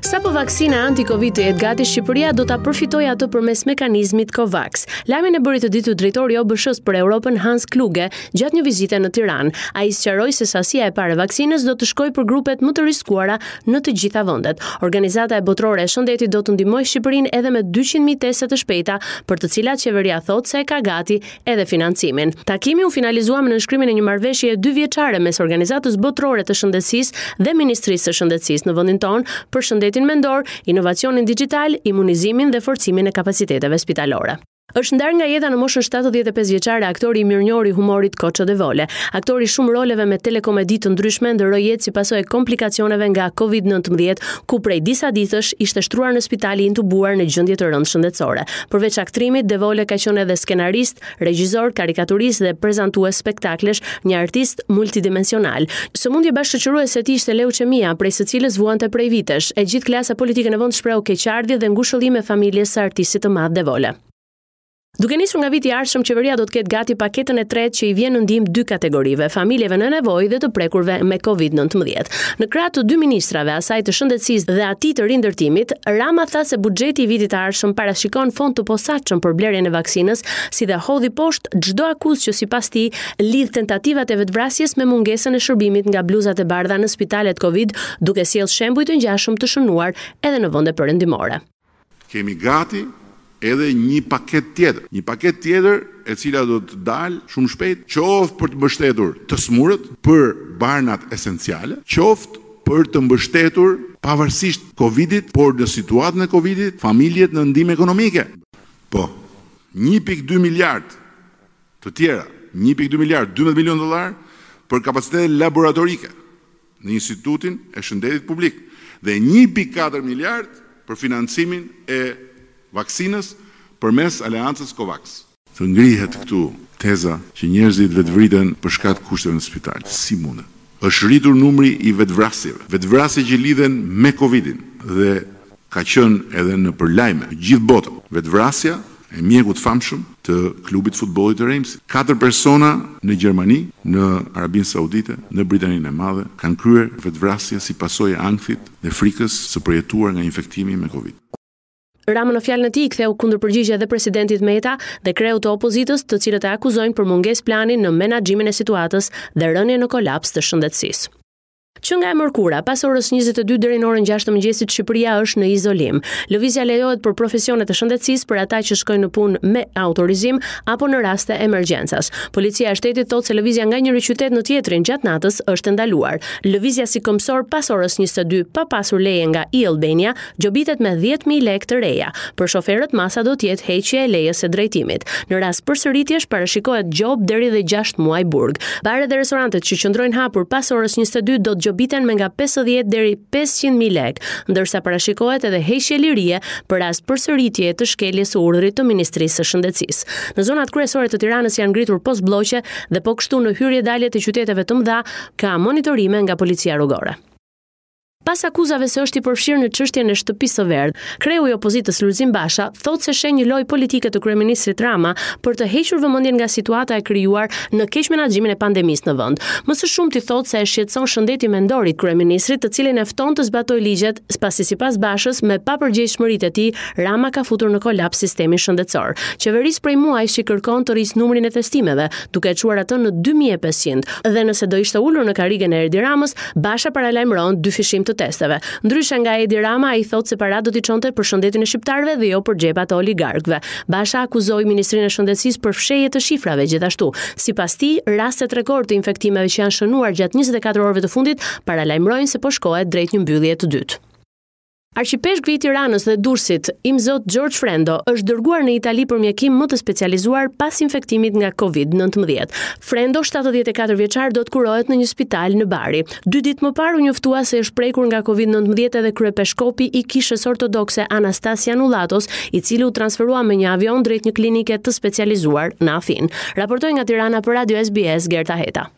Sapo vaksina anti-Covid të jetë gati, Shqipëria do ta përfitojë atë përmes mekanizmit COVAX. Lajmin e bëri të ditur drejtori i OBSH-së për Europën Hans Kluge gjatë një vizite në Tiranë. Ai sqaroi se sasia e parë e vaksinës do të shkojë për grupet më të riskuara në të gjitha vendet. Organizata e Botërore e Shëndetit do të ndihmojë Shqipërinë edhe me 200.000 teste të shpejta, për të cilat qeveria thotë se e ka gati edhe financimin. Takimi u finalizua me nënshkrimin e një marrëveshjeje dyvjeçare mes Organizatës Botërore të Shëndetësisë dhe Ministrisë së Shëndetësisë në vendin tonë për shëndetin mendor, inovacionin dixhital, imunizimin dhe forcimin e kapaciteteve spitalore. Është ndarë nga jeta në moshën 75 vjeçare aktori i mirënjohur i humorit Koço Devole. Aktori i shumë roleve me telekomedi të ndryshme ndërroi jetë si pasojë e komplikacioneve nga Covid-19, ku prej disa ditësh ishte shtruar në spital i intubuar në gjendje të rëndë shëndetësore. Përveç aktrimit, Devole ka qenë edhe skenarist, regjizor, karikaturist dhe prezantues spektaklesh, një artist multidimensional. Sëmundje bashkëshoqëruese e tij ishte leuçemia, prej së cilës vuante prej vitesh. E gjithë klasa politike në vend shprehu keqardhje dhe ngushëllime familjes së artistit të madh Devole. Duke nisur nga viti i ardhshëm, qeveria do të ketë gati paketën e tretë që i vjen në ndihmë dy kategorive, familjeve në nevojë dhe të prekurve me Covid-19. Në krah të dy ministrave, asaj të Shëndetësisë dhe atij të Rindërtimit, Rama tha se buxheti i vitit të ardhshëm parashikon fond të posaçëm për blerjen e vaksinës, si dhe hodhi poshtë çdo akuzë që sipas tij lidh tentativat e vetëvrasjes me mungesën e shërbimit nga bluzat e bardha në spitalet Covid, duke sjellë shembuj të ngjashëm të shënuar edhe në vende perëndimore. Kemi gati edhe një paketë tjetër. Një paketë tjetër e cila do të dalë shumë shpejt, qoftë për të mbështetur të sëmurët, për barnat esenciale, qoftë për të mbështetur pavarësisht Covidit, por në situatën e Covidit, familjet në ndihmë ekonomike. Po, 1.2 miliard të tjera, 1.2 miliard, 12 milionë dollarë për kapacitete laboratorike. në Institutin e Shëndetit Publik dhe 1.4 miliardë për financimin e vaksinës përmes aleancës COVAX. Të ngrihet këtu teza që njerëzit vetëvriten për shkak të kushteve në spital. Si mundet? Është rritur numri i vetëvrasjeve, vetëvrasje që lidhen me Covidin dhe ka qenë edhe nëpër lajme në gjithë botën. Vetëvrasja e mjekut të famshëm të klubit të futbollit të Reimsit. Katër persona në Gjermani, në Arabinë Saudite, në Britaninë e Madhe kanë kryer vetëvrasje si pasojë e ankthit dhe frikës së përjetuar nga infektimi me Covid. Rama në fjalën e tij i ktheu kundërpërgjigje edhe presidentit Meta dhe kreut të opozitës, të cilët e akuzojnë për mungesë plani në menaxhimin e situatës dhe rënien në kolaps të shëndetësisë. Që nga e mërkura, pas orës 22 deri në orën 6 të mëngjesit, Shqipëria është në izolim. Lëvizja lejohet për profesionet e shëndetësisë për ata që shkojnë në punë me autorizim apo në raste emergjencash. Policia e Shtetit thotë se lëvizja nga njëri qytet në tjetrin gjatë natës është e ndaluar. Lëvizja si këmbësor pas orës 22 pa pasur leje nga e-Albania gjobitet me 10.000 lekë të reja. Për shoferët masa do të jetë heqje e lejes së drejtimit. Në rast përsëritjesh parashikohet gjobë deri dhe 6 muaj burg. Baret dhe restorantet që qëndrojnë hapur pas orës 22 do të gjobiten me nga 50 deri 500.000 lekë, ndërsa parashikohet edhe heqje lirie për rast përsëritjeje të shkeljes së urdhrit të Ministrisë së Shëndetësisë. Në zonat kryesore të Tiranës janë ngritur postblloqe dhe po kështu në hyrje-dalje të qyteteve të mëdha ka monitorime nga policia rrugore. Pas akuzave se është i përfshirë në çështjen e Shtëpisë së Verdhë, kreu i opozitës Lulzim Basha thotë se sheh një lojë politike të kryeministrit Rama për të hequr vëmendjen nga situata e krijuar në keqmenaxhimin e pandemisë në vend. Më së shumti thotë se e shqetëson shëndeti mendor i kryeministrit, të cilin e fton të zbatojë ligjet, pasi sipas Bashës, me papërgjegjshmëritë e tij, Rama ka futur në kolaps sistemin shëndetësor. Qeverisë prej muajsh i kërkon të rrisë numrin e testimeve, duke e çuar atë në 2500. Dhe nëse do ishte ulur në karrigen e Edi Ramës, Basha paralajmëron dyfishim të testeve. Ndryshe nga Edi Rama, ai thotë se paratë do t'i çonte për shëndetin e shqiptarëve dhe jo për xhepat e oligarkëve. Basha akuzoi Ministrinë e Shëndetësisë për fshehje të shifrave gjithashtu. Sipas tij, rastet rekord të infektimeve që janë shënuar gjatë 24 orëve të fundit paralajmërojnë se po shkohet drejt një mbylljeje të dytë. Arqipeshkvi i Tiranës dhe Durrësit, Imzot Xhorxh Frendo, është dërguar në Itali për mjekim më të specializuar pas infektimit nga Covid-19. Frendo, 74 vjeçar, do të kurohet në një spital në Bari. Dy ditë më parë u njoftua se është prekur nga Covid-19 edhe kryepeshkopi i Kishës Ortodokse Anastas Janullatos, i cili u transferua me një avion drejt një klinike të specializuar në Athinë. Raportoi nga Tirana për Radio SBS Gerta Heta.